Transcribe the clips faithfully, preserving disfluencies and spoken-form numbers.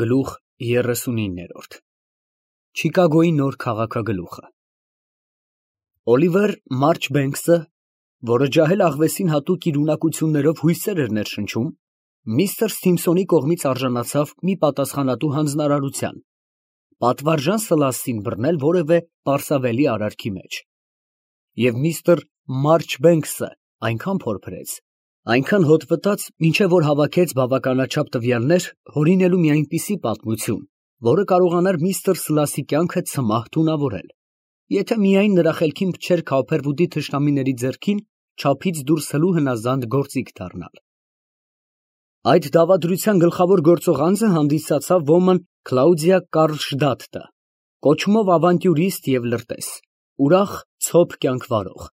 Գլուխ երեսունիններորդ Չիկագոյի նոր քաղաքագլուխը Օլիվեր Մարչբենքսը, որը ջահել աղվեսին հատուկ իր ունակություններով հույսեր էր ներշնչում, միստր Սիմփսոնի կողմից արժանացավ մի պատասխանատու հանձնարարության, պատվարժան Սլասսին բռնել որևէ պարսավելի արարքի մեջ, և միստր Մարչբենքսը այնքան փորփրեց, այնքան հոտ վտաց, մինչև որ հավաքեց բավականաչափ տվյալներ հորինելու մի այնպիսի պատմություն, որը կարողանար միստր Սլասսի կյանքը ցմահ թունավորել, եթե միայն նրա խելքին փչեր Քոփերվուդի թշնամիների ձեռքին չափից դուրս հլու հնազանդ գործիք դառնալ։ Այդ դավադրության գլխավոր գործող անձը հանդիսացավ ոմն Կլաուդիա Կարլշտադտը, կոչումով ավանտյուրիստ և լրտես, ուրախ, ցոփ կյանք վարող,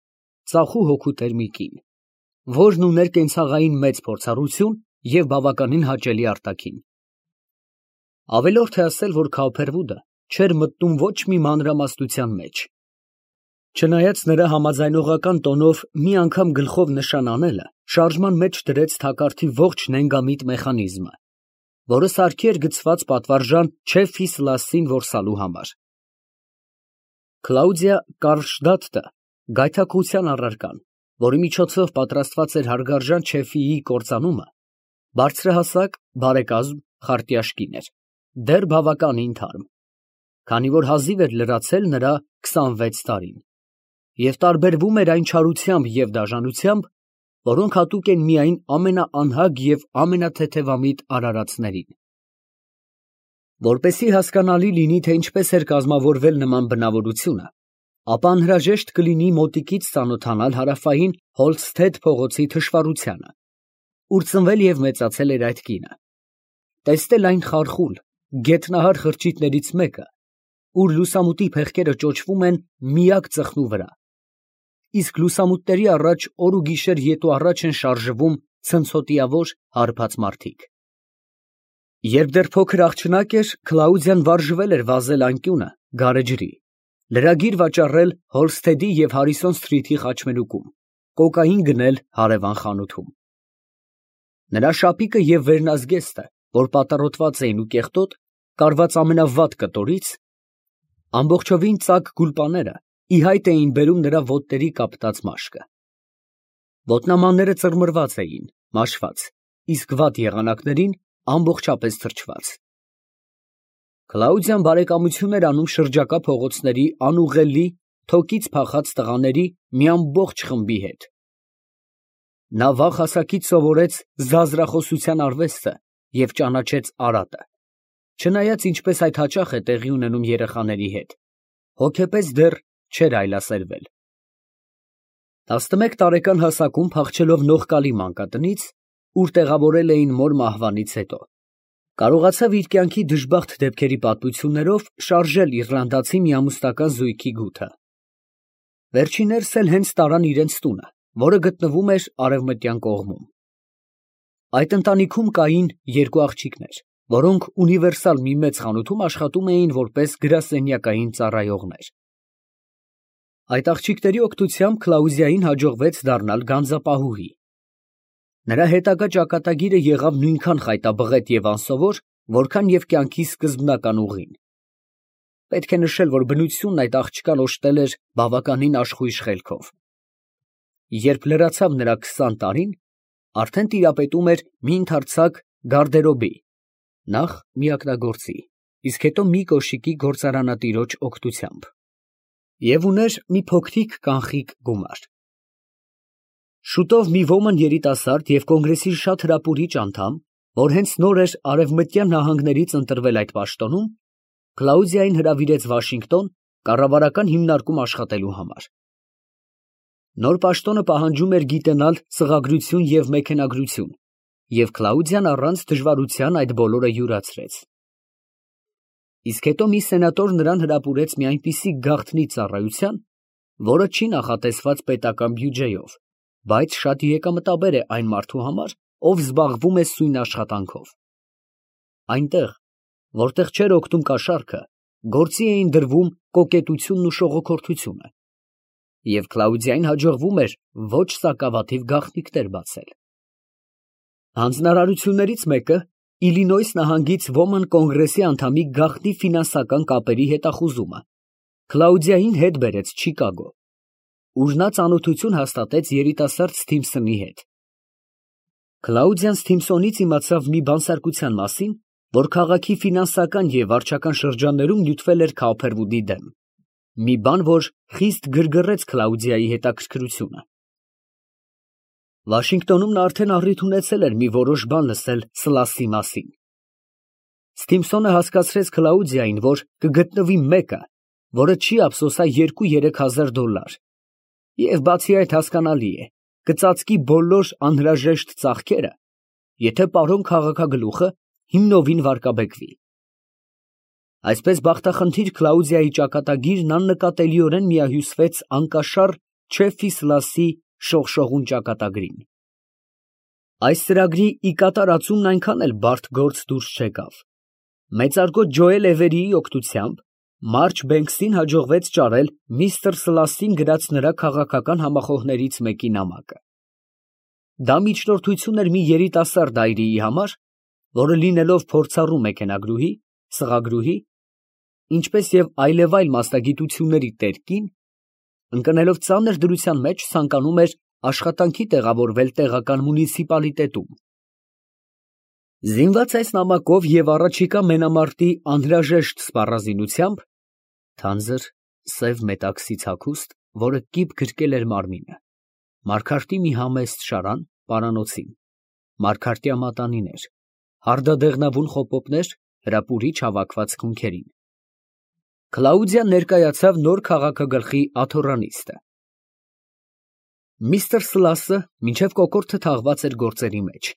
ծախու հոգուտեր մի կին, որն ուներ կենցաղային մեծ փորձառություն և բավականին հաճելի արտաքին։ Ավելորդ է ասել, որ Քոփերվուդը չէր մտնում ոչ մի մանրամասնության մեջ։ Չնայած նրա համաձայնողական տոնով մի անգամ գլխով նշան անելը շարժման մեջ դրեց թակարդի ողջ նենգամիտ մեխանիզմը, որը սարքի էր գցված պատվարժան Չեֆի Սլասսին որսալու համար։ Կլաուդիա Կարլշտադտը գայթակղության առարկան, որի միջոցով պատրաստված էր հարգարժան Չեֆիի կործանումը, բարձրահասակ, բարեկազմ, խարտյաշ կին էր, դեռ բավականին թարմ, քանի որ հազիվ էր լրացել նրա քսանվեց տարին, և տարբերվում էր այն չարությամբ և դաժանությամբ, որոնք հատուկ են միայն ամենաանհագ և ամենաթեթևամիտ արարածներին։ Որպեսզի հասկանալի լինի, թե ինչպես էր կազմավորվել նման բնավորությունը, ապա անհրաժեշտ կլինի մոտիկից ծանոթանալ հարավային Հոլստեդ փողոցի թշվառությանը, ուր ծնվել և մեծացել էր այդ կինը, տեսնել այն խարխուլ, գետնահար խրճիթներից մեկը, ուր լուսամուտի փեղկերը ճոճվում են միակ ծխնու վրա, իսկ լուսամուտների առաջ օր ու գիշեր ետ ու առաջ են շարժվում ցնցոտիավոր, հարբած մարդիկ։ Երբ դեռ փոքր աղջնակ էր, Կլաուդիան վարժվել էր վազել անկյունը, գարեջրի, լրագիր վաճառել Հոլստեդի և Հարիսոն Սթրիթի խաչմերուկում, կոկային գնել հարևան խանութում։ Նրա շապիկը և վերնազգեստը, որ պատառոտված էին ու կեղտոտ, կարված ամենավատ կտորից, ամբողջովին ծակ գուլպաները ի հայտ էին բերում նրա ոտների կապտած մաշկը։ Ոտնամանները ծռմռված էին, մաշված, իսկ վատ եղանակներին ամբողջապես թրջված։ Կլաուդիան բարեկամություն էր անում շրջակա փողոցների անուղղելի, թոկից փախած տղաների մի ամբողջ խմբի հետ։ Նա վաղ հասակից սովորեց զազրախոսության արվեստը և ճանաչեց արատը, չնայած ինչպես այդ հաճախ է տեղի ունենում երեխաների հետ, հոգեպես դեռ չէր այլասերվել։ Տասնմեկ տարեկան հասակում փախչելով Նողկալի մանկատնից, ուր տեղավորել էին մոր մահվանից հետո, կարողացավ իր կյանքի դժբախտ դեպքերի պատմություններով շարժել իռլանդացի միամուսնական զույգի գութը։ Վերջիններս էլ հենց տարան իրենց տունը, որը գտնվում էր արևմտյան կողմում։ Այդ ընտանիքում կային երկու աղջիկներ, որոնք ունիվերսալ մի մեծ խանութում աշխատում էին որպես գրասենյակային ծառայողներ։ Այդ աղջիկների օգնությամբ Կլաուդիային հաջողվեց դառնալ գանձապահուհի։ Նրա հետագա ճակատագիրը եղավ նույնքան խայտաբղետ և անսովոր, որքան և կյանքի սկզբնական ուղին։ Պետք է նշել, որ բնությունն այդ աղջկան օժտել էր բավականին աշխույժ խելքով։ Երբ լրացավ նրա քսան տարին, արդեն տիրապետում էր մի ընդարձակ գարդերոբի, նախ միակնագործի, իսկ հետո մի կոշիկի գործարանատիրոջ օգնությամբ, և ուներ մի փոքրիկ կանխիկ գումար։ Շուտով մի ոմն երիտասարդ և կոնգրեսի շատ հրապուրիչ անդամ, որ հենց նոր էր արևմտյան նահանգներից ընտրվել այդ պաշտոնում, Կլաուդիային հրավիրեց Վաշինգտոն կառավարական հիմնարկում աշխատելու համար։ Նոր պաշտոնը պահանջում էր գիտենալ սղագրություն և մեքենագրություն, և Կլաուդիան առանց դժվարության այդ բոլորը յուրացրեց։ Իսկ հետո մի սենատոր նրան հրապուրեց մի այնպիսի գաղտնի ծառայության, որը չի նախատեսված պետական բյուջեով, բայց շատ եկամտաբեր է այն մարդու համար, ով զբաղվում է սույն աշխատանքով։ Այնտեղ, որտեղ չէր օգնում կաշառքը, գործի էին դրվում կոկետությունն ու շողոքորթությունը, և Կլաուդիային հաջողվում էր ոչ սակավաթիվ գաղտնիքներ բացել։ Հանձնարարություններից մեկը Իլինոյս նահանգից ոմն կոնգրեսի անդամի գաղտնի ֆինանսական կապերի հետախուզումը, Կլաուդիային հետ բերեց Չիկագո, ուր նա ծանոթություն հաստատեց երիտասարդ Սթիմփսոնի հետ։ Կլաուդիան Սթիմփսոնից իմացավ մի բանսարկության մասին, որ քաղաքի ֆինանսական և վարչական շրջաններում նյութվել էր Քաուփերվուդի դեմ, մի բան, որ խիստ գրգռեց Կլաուդիայի հետաքրքրությունը։ Վաշինգտոնում նա արդեն առիթ ունեցել էր մի որոշ բան լսել Սլասի մասին։ Սթիմփսոնը հասկացրեց Կլաուդիային, որ կգտնվի մեկը, որը չի ափսոսա երկու֊երեք հազար դոլար, և բացի այդ հասկանալի է, կծածկի բոլոր անհրաժեշտ ծախքերը, եթե պարոն քաղաքագլուխը հիմնովին վարկաբեկվի։ Այսպես բախտախնդիր Կլաուդիայի ճակատագիրն աննկատելիորեն միահյուսվեց անկաշառ Չեֆի Սլասի շողշողուն ճակատագրին։ Այս ծրագրի ի կատարածումն այնքան էլ բարդ գործ դուրս չեկավ։ Մեծարգո Ջոել Էվերիի օգնությամբ Մարչբենքսին հաջողվեց ճարել միստր Սլասին գրած նրա քաղաքական համախոհներից մեկի նամակը։ Դա միջնորդություն էր մի երիտասարդ այրիի համար, որը լինելով փորձառու մեքենագրուհի, սղագրուհի, ինչպես և այլևայլ մասնագիտությունների տեր կին, ընկնելով ծանր դրության մեջ ցանկանում էր աշխատանքի տեղավորվել տեղական մունիցիպալիտետում։ Զինված այս նամակով և առաջիկա մենամարտի անհրաժեշտ սպառազինությամբ, թանձր սև մետաքսի հագուստ, որը կիպ գրկել էր մարմինը, մարգարտի մի համեստ շարան պարանոցին, մարգարտյա մատանիներ, հարդադեղնավուն խոպոպներ հրապուրիչ հավաքված քունքերին, Կլաուդիան ներկայացավ նոր քաղաքագլխի աթոռանիստը։ Միստր Սլասը մինչև կոկորդը թաղված էր գործերի մեջ,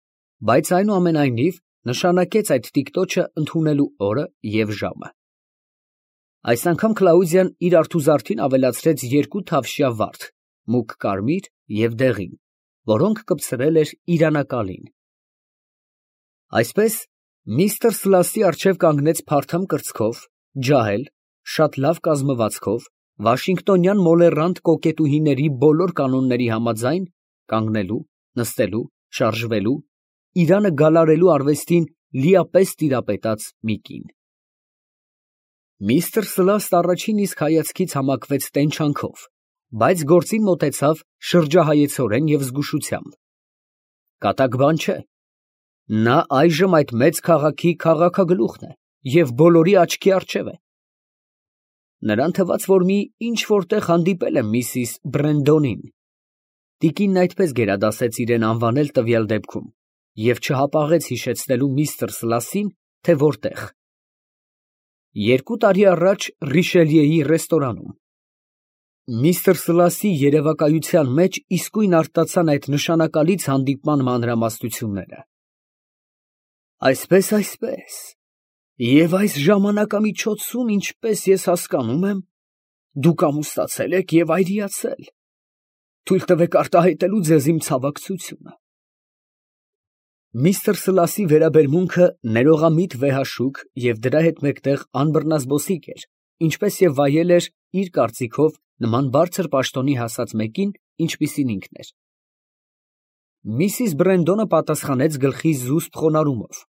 բայց այնուամենայնիվ նշանակեց այդ տիկտոչը ընդունելու օրը և ժամը։ Այս անգամ Կլաուդիան իր արթուզարդին ավելացրեց երկու թավշյա վարդ, մուգ կարմիր և դեղին, որոնք կպցրել էր իրանակալին։ Այսպես միստր Սլասի առջև կանգնեց փարթամ կրծքով, ջահել, շատ լավ կազմվածքով, վաշինգտոնյան մոլեռանդ կոկետուհիների բոլոր կանոնների համաձայն կանգնելու, նստելու, շարժվելու, իրանը գալարելու արվեստին լիապես տիրապետած մի կին։ Միստր Սլասն առաջին իսկ հայացքից համակվեց տենչանքով, բայց գործին մոտեցավ շրջահայեցորեն և զգուշությամբ։ Կատակ բան չէ, նա այժմ այդ մեծ քաղաքի քաղաքագլուխն է և բոլորի աչքի առջև է։ Նրան թվաց, որ մի ինչ֊որ տեղ հանդիպել է միսիս Բրենդոնին։ Տիկինն այդպես գերադասեց իրան անվանել տվյալ դեպքում և չհապաղեց հիշեցնելու միստր Սլասին, թե որտեղ։ Երկու տարի առաջ Ռիշելիեի ռեստորանում։ Միստր Սլասի երևակայության մեջ իսկույն արտացան այդ նշանակալից հանդիպման մանրամասնությունները։ Այսպես, այսպես, և այս ժամանակամիջոցում, ինչպես ես հասկանում եմ, դուք ամուսնացել եք և այրիացել, թույլ տվեք արտահայտելու ձեզ իմ ցավակցությունը։ Միստր Սլասի վերաբերմունքը ներողամիտ վեհաշուկ և դրա հետ մեկտեղ անբռնազբոսիկ էր, ինչպես և վայել էր իր կարծիքով նման բարձր պաշտոնի հասած մեկին, ինչպիսին ինքն էր։ Միսիս Բրենդոնը պատասխանեց գլխի զուսպ խոնարհումով։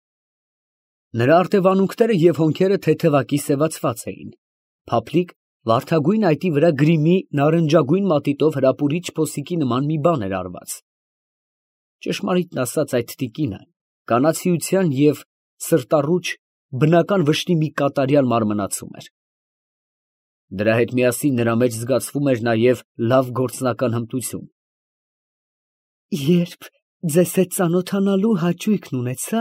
Նրա արտևանունքները և հոնքերը թեթևակի սևացված էին, փափլիկ, վարդագույն այտի վրա գրիմի նարնջագույն մատիտով հրապուրիչ փոսիկի նման մի բան էր արված։ Ճշմարիտն ասած, այդ տիկինը կանացիության և սրտառուչ բնական վշտի մի կատարյալ մարմնացում էր։ Դրա հետ միասին նրա մեջ զգացվում էր նաև լավ գործնական հմտություն։ Երբ ձեզ հետ ծանոթանալու հաճույքն ունեցա,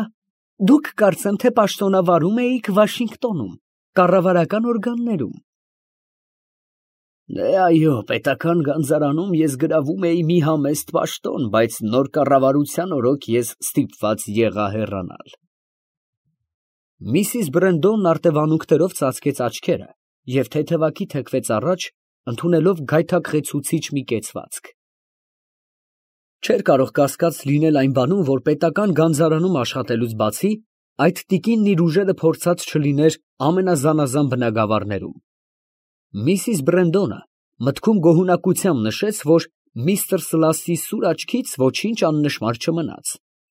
դուք կարծեմ թե պաշտոնավարում էիք Վաշինգտոնում, կառավարական օրգաններում։ Դե այո, պետական գանձարանում ես գրավում էի մի համեստ պաշտոն, բայց նոր կառավարության օրոք ես ստիպված եղա հեռանալ։ Միսիս Բրենդոնն արտևանունքներով ծածկեց աչքերը և թեթևակի թեքվեց առաջ, ընդունելով գայթակղեցուցիչ մի կեցվածք։ Չէր կարող կասկած լինել այն բանում, որ պետական գանձարանում աշխատելուց բացի, այդ տիկինն իր ուժերը փորձած չլիներ ամենազանազան բնագավառներում։ Միսիս Բրենդոնը մտքում գոհունակությամբ նշեց, որ միստր Սլասի սուր աչքից ոչինչ աննշմար չմնաց,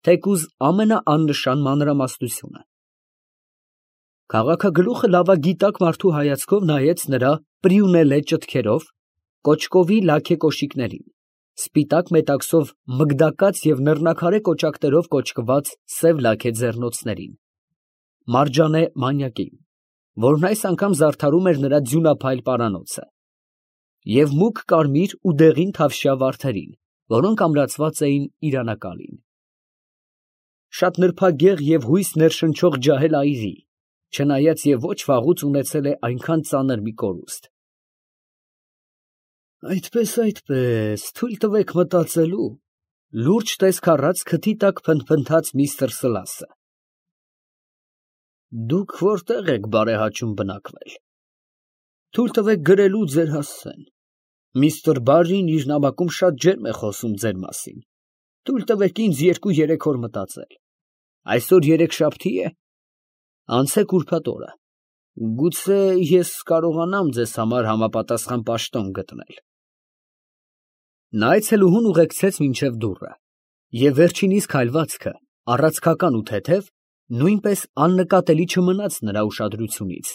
թեկուզ ամենաաննշան մանրամասնությունը։ Քաղաքագլուխը լավագիտակ մարդու հայացքով նայեց նրա պրիունելե ճտքերով, կոճկովի լաք կոշիկներին, սպիտակ մետաքսով մգդակած և նռնակարե կոճակներով կոճկված սև լաքե ձեռնոցներին, մարջանե մանյակին, որն այս անգամ զարդարում էր նրա ձյունափայլ պարանոցը, և մուգ կարմիր ու դեղին թավշյա վարդերին, որոնք ամրացված էին իրանակալին։ Շատ նրբագեղ և հույս ներշնչող ջահել այրի, չնայած և ոչ վաղուց ունեցել է այնքան ծանր մի կորուստ։ Այդպես, այդպես, թույլ տվեք մտածելու, լուրջ տեսք առած քթի տակ փնթփնթաց միստր Սլասը։ Դուք որտե՞ղ եք բարեհաճում բնակվել։ Թույլ տվեք գրելու ձեր հասցեն։ Միստր Բարրին իր նամակում շատ ջերմ է խոսում ձեր մասին։ Թույլ տվեք ինձ երկու֊երեք օր մտածել։ Այսօր երեքշաբթի է։ Անցեք ուրբաթ օրը։ Գուցե ես կարողանամ ձեզ համար համապատասխան պաշտոն գտնել։ Նա այցելուհուն ուղեկցեց մինչև դուռը, և վերջինիս քայլվածքը, առացքական ու թեթև, նույնպես աննկատելի չմնաց նրա ուշադրությունից։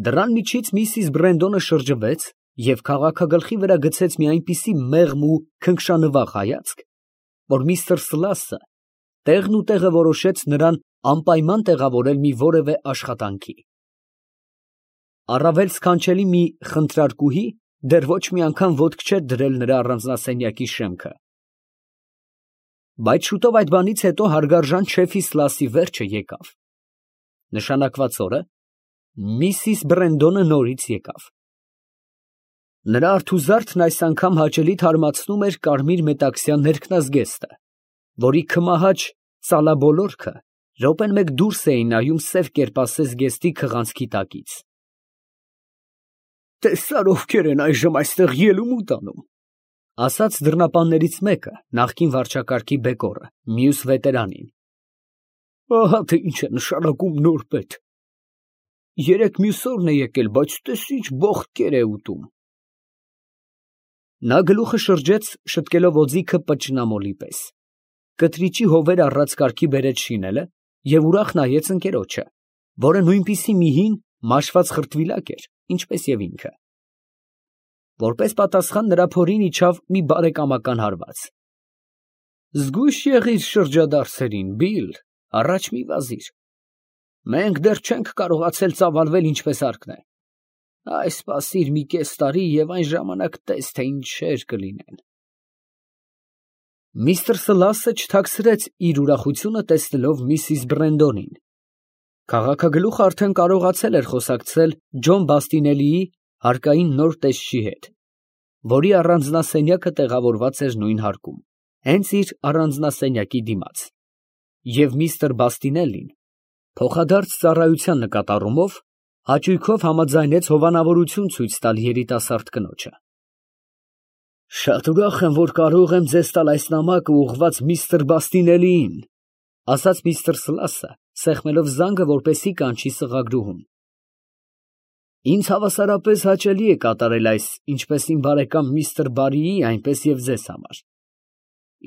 Դռան միջից միսիս Բրենդոնը շրջվեց և քաղաքագլխի վրա գցեց մի այնպիսի մեղմ ու քնքշանվաղ հայացք, որ միստր Սլասը տեղն ու տեղը որոշեց նրան անպայման տեղավորել մի որևէ աշխատանքի։ Առավել սքանչելի մի խնդրարկուհի դեռ ոչ մի անգամ ոտք չէր դրել նրա առանձնասենյակի շեմքը։ Բայց շուտով այդ բանից հետո հարգարժան շեֆի Սլասի վերջը եկավ։ Նշանակված օրը միսիս Բրենդոնը նորից եկավ։ Նրա արթուզարդն այս անգամ հաճելի թարմացնում էր կարմիր մետաքսյա ներքնազգեստը, որի քմահաճ ծալաբոլորքը րոպեն մեկ դուրս էին նայում սև կերպասես զգեստի քղանցքի տակից։ Տեսա՞ր ովքեր են այժմ այստեղ ելումուտ անում, ֊ ասաց դռնապաններից մեկը, նախկին վարչակարգի բեկորը, մյուս վետերանին։ Ահա թե ինչ է նշանակում նոր պետ։ Երեկ մյուս օրն է եկել, բայց տես ինչ բոխտկեր է ուտում։ Նա գլուխը շրջեց, շտկելով օձիքը պճնամոլի պես, կտրիճի հովեր առած կարգի բերեց շինելը և ուրախ նայեց ընկերոջը, որը նույնպիսի մի հին, մաշված խրտվիլակ էր, ինչպես և ինքը։ Որպես պատասխան նրա փորին իջավ մի բարեկամական հարված։ Զգույշ եղիր շրջադարձերին, Բիլ, առաջ մի վազիր։ Մենք դեռ չենք կարողացել ծավալվել ինչպես հարկն է։ Այ սպասիր մի կես տարի և այն ժամանակ տես, թե ինչեր կլինեն։ Միստր Սլասը չթաքցրեց իր ուրախությունը տեսնելով միսիս Բրենդոնին։ Քաղաքագլուխը արդեն կարողացել էր խոսակցել Ջոն Բաստինելիի հարկային նոր տեսչի հետ, որի առանձնասենյակը տեղավորված էր նույն հարկում, հենց իր առանձնասենյակի դիմաց, և միստր Բաստինելին, փոխադարձ ծառայության նկատառումով, հաճույքով համաձայնեց հովանավորություն ցույց տալ երիտասարդ կնոջը։ Շատ ուրախ եմ, որ կարող եմ ձեզ տալ այս նամակը ուղղված միստր Բաստինելիին, ֊ ասաց միստր Սլասը, սեղմելով զանգը, որպեսզի կանչի սղագրուհուն։ Ինձ հավասարապես հաճելի է կատարել այս ինչպես իմ բարեկամ միստր Բարրիի, այնպես և ձեզ համար։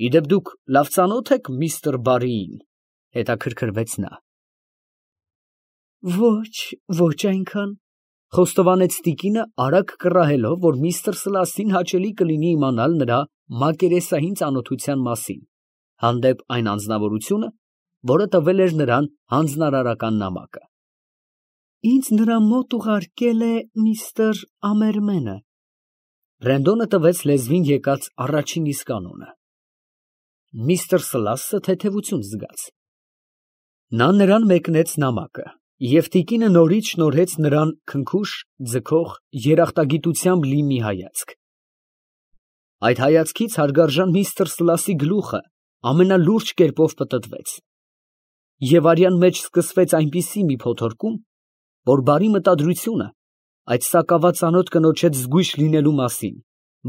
Իդեպ դուք լավ ծանո՞թ եք միստր Բարրիին, ֊ հետաքրքրվեց նա։ Ոչ, ոչ այնքան, ֊ խոստովանեց տիկինը, արագ կռահելով, որ միստր Սլասին հաճելի կլինի իմանալ նրա մակերեսային ծանոթության մասին, հանդեպ այն անձնավորությունը, որը տվել էր նրան հանձնարարական նամակը։ Ինձ նրա մոտ ուղարկել է միստր Ամերմենը։ Բրենդոնը տվեց լեզվին եկած առաջին իսկ անունը։ Միստր Սլասը թեթևություն զգաց։ Նա նրան մեկնեց նամակը, և տիկինը նորից շնորհեց նրան քնքուշ, ձգող, երախտագիտությամբ լի մի հայացք։ Այդ հայացքից հարգարժան միստր Սլասի գլուխը ամենալուրջ կերպով պտտվեց, և արյան մեջ սկսվեց այնպիսի մի փոթորկում, որ բարի մտադրությունը այդ սակավածանոթ կնոջ հետ զգույշ լինելու մասին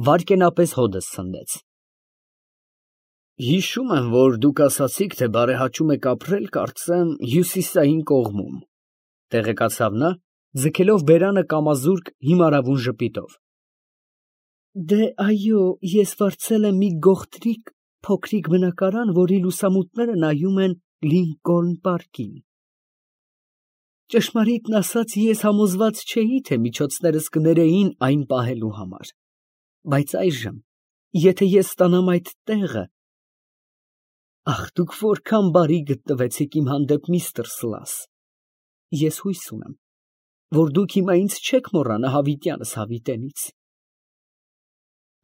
վայրկենապես հոդս ցնդեց։ Հիշում եմ, որ դուք ասացիք, թե բարեհաճում եք ապրել, կարծեմ, հյուսիսային կողմում, ֊ տեղեկացավ նա, ձգելով բերանը կամազուրկ հիմարավուն ժպիտով։ Դե, այո, ես վարձել եմ մի գողտրիկ Փոքրիկ բնակարան, որի լուսամուտները նայում են Լինկոլն պարկին։ Ճշմարիտն ասած, ես համոզված չէի, թե միջոցներս կներեին այն պահելու համար, բայց այժմ, եթե ես ստանամ այդ տեղը… Ախ, դուք որքան բարի գտնվեցիք իմ հանդեպ, միստր Սլաս, ես հույս ունեմ, որ դուք հիմա ինձ չեք մոռանա հավիտյանս հավիտենից։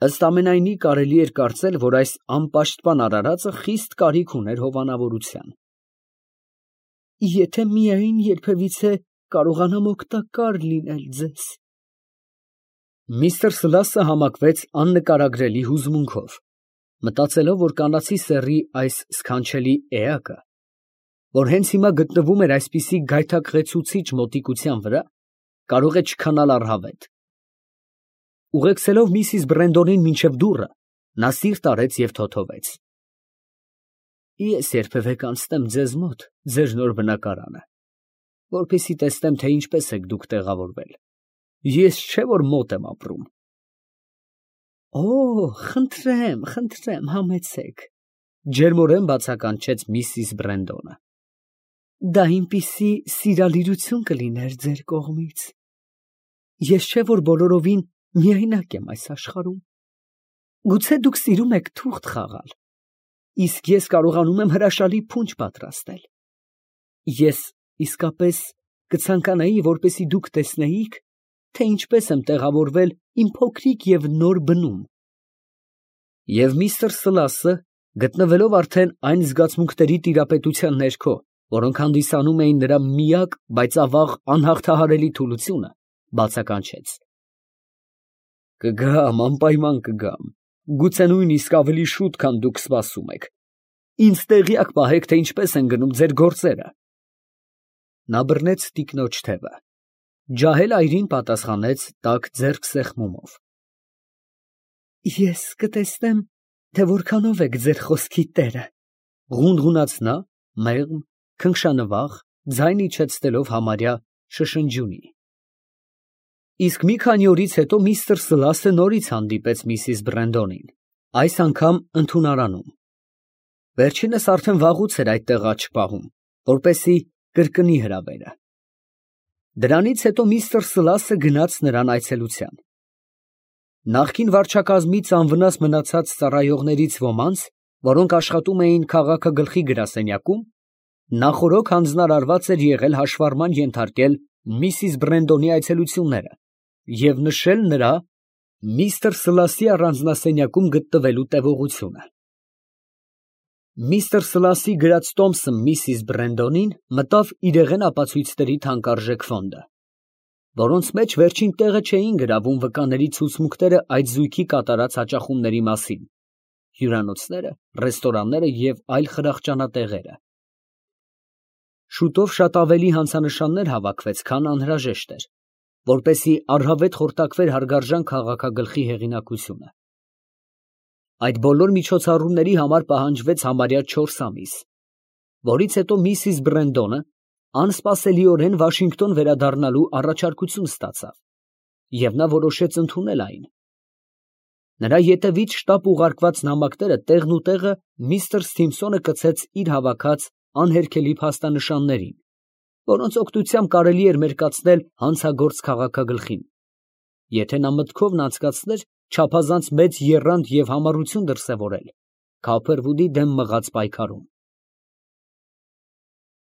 Ըստ ամենայնի, կարելի էր կարծել, որ այս անպաշտպան արարածը խիստ կարիք ուներ հովանավորության։ Եթե միայն երբևիցե կարողանամ օգտակար լինել ձեզ… Միստր Սլասը համակվեց աննկարագրելի հուզմունքով, մտածելով, որ կանացի սեռի այս սքանչելի էակը, որ հենց հիմա գտնվում էր այսպիսի գայթակղեցուցիչ մոտիկության վրա, կարող է չքանալ առհավետ։ Ուղեկցելով միսիս Բրենդոնին մինչև դուռը, նա սիրտ արեց և թոթվեց. Ես երբևէ կանցնեմ ձեզ մոտ ձեր նոր բնակարանը, որպեսզի տեսնեմ, թե ինչպես եք դուք տեղավորվել. ես չէ որ մոտ եմ ապրում։ Օ, խնդրեմ, խնդրեմ, համեցեք, ջերմորեն բացականչեց միսիս Բրենդոնը։ Դա այնպիսի սիրալիրություն կլիներ ձեր կողմից։ Ես չէ որ բոլորովին միայնակ եմ այս աշխարհում։ Գուցե դուք սիրում եք թուղթ խաղալ, իսկ ես կարողանում եմ հրաշալի փունջ պատրաստել։ Ես իսկապես կցանկանայի, որպեսզի դուք տեսնեիք, թե ինչպես եմ տեղավորվել իմ փոքրիկ և նոր բնում։ Եվ միստր Սլասը, գտնվելով արդեն այն զգացմունքների տիրապետության ներքո, որոնք հանդիսանում էին նրա միակ, բայց ավաղ անհաղթահարելի թուլությունը, բացականչեց. Կգամ, անպայման կգամ, գուցե նույնիսկ ավելի շուտ, քան դուք սպասում եք, ինձ տեղյակ պահեք, թե ինչպես են գնում ձեր գործերը։ Նա բռնեց տիկնոջ թևը, ջահել այրին պատասխանեց տաք ձեռք սեղմումով. Ես կտեսնեմ, թե որքանով եք ձեր խոսքի տերը, ղունղունաց նա, մեղմ, քնքշանվաղ, ձայն իջեցնելով համարյա շշնջյունի։ Իսկ մի քանի օրից հետո միստր Սլասը նորից հանդիպեց միսիս Բրենդոնին, այս անգամ ընդունարանում։ Վերջինս արդեն վաղուց էր այդտեղ աչք պահում, որպեսզի կրկնի հրավերը։ Դրանից հետո միստր Սլասը գնաց նրան այցելության։ Նախկին վարչակազմից անվնաս մնացած ծառայողներից ոմանց, որոնք աշխատում էին քաղաքագլխի գրասենյակում, նախօրոք հանձնարարված էր եղել հաշվառման ենթարկել միսիս Բրենդոնի այցելությունները և նշել նրա միստր Սլասի առանձնասենյակում գտնվելու տևողությունը։ Միստր Սլասի գրած տոմսը միսիս Բրենդոնին մտավ իրեղեն ապացույցների թանկարժեք ֆոնդը, որոնց մեջ վերջին տեղը չէին գրավում վկաների ցուցմունքները այդ զույգի կատարած հաճախումների մասին, հյուրանոցները, ռեստորանները և այլ խրախճանատեղերը։ Շուտով շատ ավելի հանցանշաններ հավաքվեց, քան անհրաժեշտ էր, որպեսզի առհավետ խորտակվեր հարգարժան քաղաքագլխի հեղինակությունը։ Այդ բոլոր միջոցառումների համար պահանջվեց համարյա չորս ամիս, որից հետո միսիս Բրենդոնը անսպասելիորեն Վաշինգտոն վերադառնալու առաջարկություն ստացավ, և նա որոշեց ընդունել այն։ Նրա ետևից շտապ ուղարկված նամակները տեղն ու տեղը միստր Սթիմփսոնը կցեց իր հավաքած անհերքելի փաստանշաններին, որոնց օգնությամբ կարելի էր մերկացնել հանցագործ քաղաքագլխին, եթե նա մտքովն անցկացներ չափազանց մեծ եռանդ և համառություն դրսևորել Քոփերվուդի դեմ մղած պայքարում։